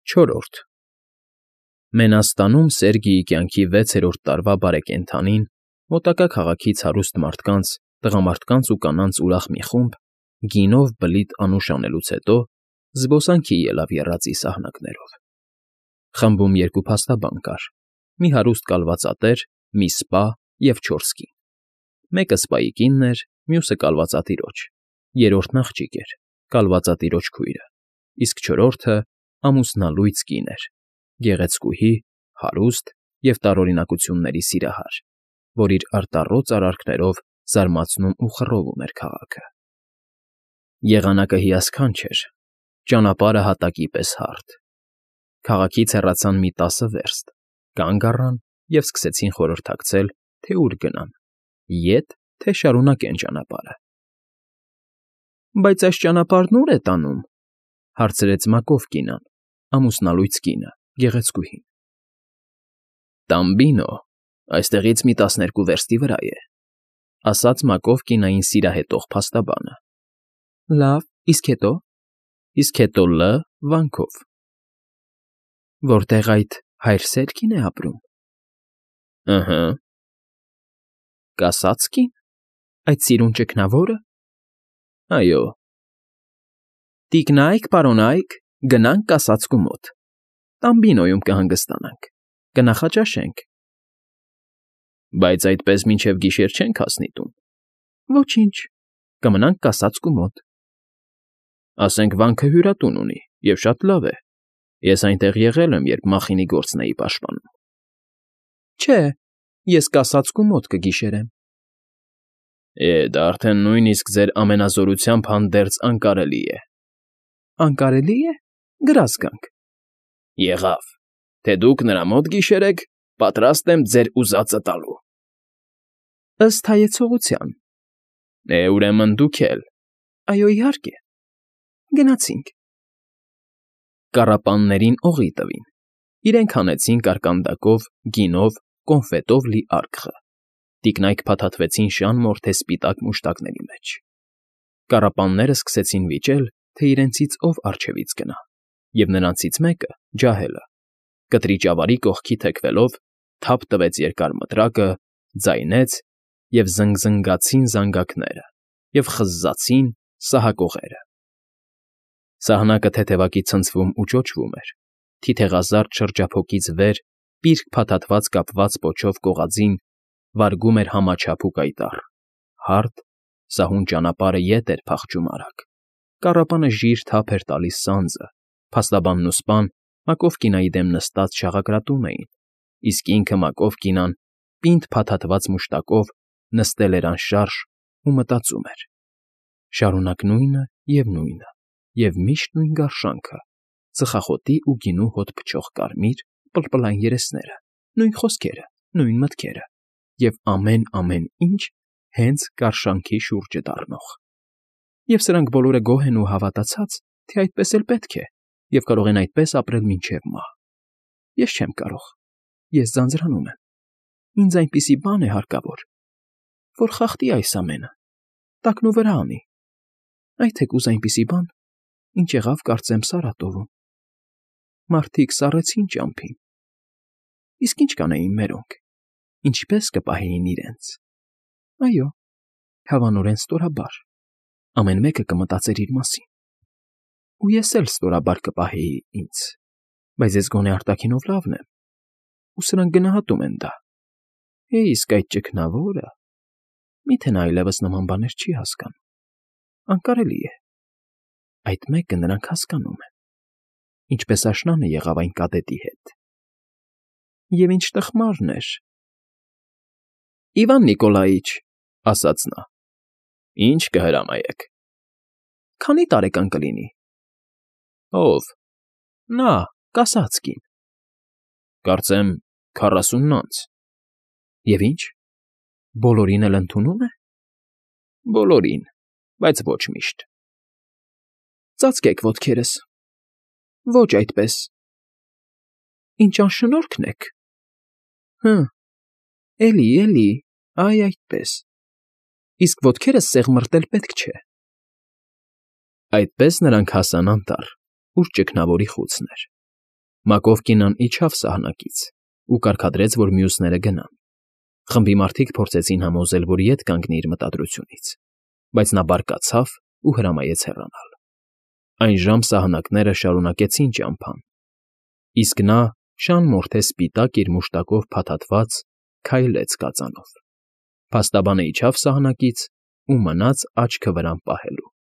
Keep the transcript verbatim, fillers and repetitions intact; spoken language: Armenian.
Չորրորդ Մենաստանում Սերգիի կյանքի վեցերորդ տարվա բարեկենդանին մոտակա քաղաքից հարուստ մարդկանց, տղամարդկանց ու կանանց ուրախ մի խումբ, գինով բլիթ անուշ անելուց հետո զբոսանքի ելավ եռացի սահնակներով. խմբում երկու փաստաբան կար, մի հարուստ կալվածատեր, մի սպա և չորս կին. մեկը սպայի կինն էր, մյուսը կալվածատիրոջ, երրորդն աղջիկ էր, կալվածատիրոջ քույրը, իսկ չորրորդը ամուսնալույծ կին էր, գեղեցկուհի, հարուստ և տարօրինակությունների սիրահար, որ իր արտառոց արարքներով զարմացնում ու խռովում էր քաղաքը. Եղանակը հիասքանչ էր, ճանապարհը հատակի պես հարթ. քաղաքից հեռացան մի տասը վերստ, կանգ առան և սկսեցին խորհրդակցել, թե ուր գնան, ետ, թե շարունակեն ճանապարհը։ ֊ Բայց այս ճանապարհն ո՞ւր է տանում,֊ հարցրեց Մակով կինան, ամուսնալույծ կինը, գեղեցկուհին։ ֊ Տամբինո, այստեղից մի տասներկու վերստի վրա է,֊ ասաց Մակով կինային սիրահետող փաստաբանը։ ֊ Լավ, իսկ հետո՞։ ֊ Իսկ հետո Լ. վանքով։ ֊ Որտեղ այդ հայր Սերգին է ապրում։ ֊ Ըհը։ ֊ Կասա՞ծ կին, այդ սիրուն ճքնավո՞րը։ ֊ Այո։ ֊ Տիկնայք, պարոնայք, գնանք կասածկու մոտ, Տամբինոյում կհանգստանանք, կնախաճաշենք։ ֊ Բայց այդպես մինչև գիշեր չենք հասնի տուն։ ֊ Ոչինչ, կմնանք կասածկու մոտ։ ֊ Ասենք վանքը հյուրատուն ունի և շատ լավ է, ես այնտեղ եղել եմ, երբ Մախինի գործն էի պաշտպանում։ ֊ Չէ, ես կասածկու մոտ կգիշերեմ։ ֊ Է, դա արդեն նույնիսկ ձեր ամենազորությամբ հանդերձ անկարելի է։ ֊ Անկարելի է, գրազ գանք։ ֊ Եղավ, թե դուք նրա մոտ գիշերեք, պատրաստ եմ ձեր ուզածը տալու։ ֊ Ըստ հայեցողության։ ֊ Է, ուրեմն դուք էլ։ ֊ Այո, իհարկե։ Գնացինք։ Կառապաններին օղի տվին, իրենք հանեցին կարկանդակով, գինով, կոնֆետով լի արկղը, տիկնայք փաթաթվեցին շան մորթե սպիտակ մուշտակների մեջ։ Կառապանները սկսեցին վիճել, թե իրենցից ով առջևից գնա, և նրանցից մեկը՝ ջահելը, կտրի ճավարի կողքի թեքվելով, թափ տվեց երկար մտրակը, ձայնեց, և զնգզնգացին զանգակները, և խզզացին սահակողերը։ Սահնակը թեթևակի ցնցվում ու ճոճվում էր, թիթեղազարդ շրջափոկից վեր, պիրկ փաթաթված կապված պոչով կողածին, վարգում էր համաչափ ու կայտառ, հարթ, սահուն ճանապարհը ետ էր փախչում արագ, կառապանը ժիր թափ էր տալիս սանձը, փաստաբանն ու սպան Մակով կինայի դեմ նստած շաղակրատում էին, իսկ ինքը Մակով կինան, պինդ փաթաթված մուշտակով, նստել էր անշարժ ու մտածում էր. շարունակ նույնը և նույնը, և միշտ նույն գարշանքը, ծխախոտի ու գինու հոտ փչող կարմիր, պլպլային երեսները, նույն խոսքերը, նույն մտքերը և ամեն֊ամեն ինչ հենց գարշանքի շուրջը դառնող։ Եվ սրանք բոլորը գոհ են ու հավատացած, թե այդպես էլ պետք է, և կարող են այդպես ապրել մինչև մահ։ Ես չեմ կարող, ես ձանձրանում եմ, ինձ այնպիսի բան է հարկավոր, որ խախտի այս ամենը, տակնուվրա անի, այ թեկուզ այնպիսի բան, ինչ եղավ, կարծեմ, Սարատովում. մարդիկ սառեցին ճամփին, իսկ ի՞նչ կանեին մերոնք, ինչպե՞ս կպահեին իրենց։ Այո, հավանորեն ստորաբար, ամեն մեկը կմտածեր իր մասին, ու ես էլ ստորաբար կպահեի ինձ, բայց ես գոնե արտաքինով լավն եմ, ու սրանք գնահատում են դա։ Է, իսկ այդ ճքնավորը… Մի՞թե նա այլևս նման բաներ չի հասկանում։ Անկարելի է։ Այդ մեկը նրանք հասկանում են, ինչպես աշնանը եղավ այն կատետի հետ։ Եվ ինչ տխմարն էր… ֊ Իվան Նիկոլաիչ,֊ ասաց նա,֊ ի՞նչ կհրամայեք։ ֊ Քանի՞ տարեկան կլինի։ ֊ Ո՞վ։ ֊ Նա, կասած կին։ ֊ Կարծեմ քառասունն անց։ ֊ Եվ ի՞նչ, բոլորին էլ ընդունում է։ ֊ Բոլորին, բայց ոչ միշտ։ ֊ Ծածկեք ոտքերս։ ֊ Ոչ այդպես։ ֊ Ինչ անշնորհքն եք։ ֊ Հը, էլի, էլի, այ այդպես, իսկ ոտքերս սեղմռտել պետք չէ։ Այդպես նրանք հասան անտառ, ուր ճգնավորի խուցն էր։ Մակով կինն իջավ սահնակից ու կարգադրեց, որ մյուսները գնան. խմբի մարդիկ փորձեցին համոզել, որ ետ կանգնի իր մտադրությունից, բայց նա բարկացավ ու հրամայեց հեռանալ։ Այժմ սահնակները շարունակեցին ճամփան, իսկ նա շան մորթե սպիտակ իր մուշտակով փաթաթված քայլեց կածանով, փաստաբանը իջավ սահնակից ու մնաց աչքը վրան պահելու։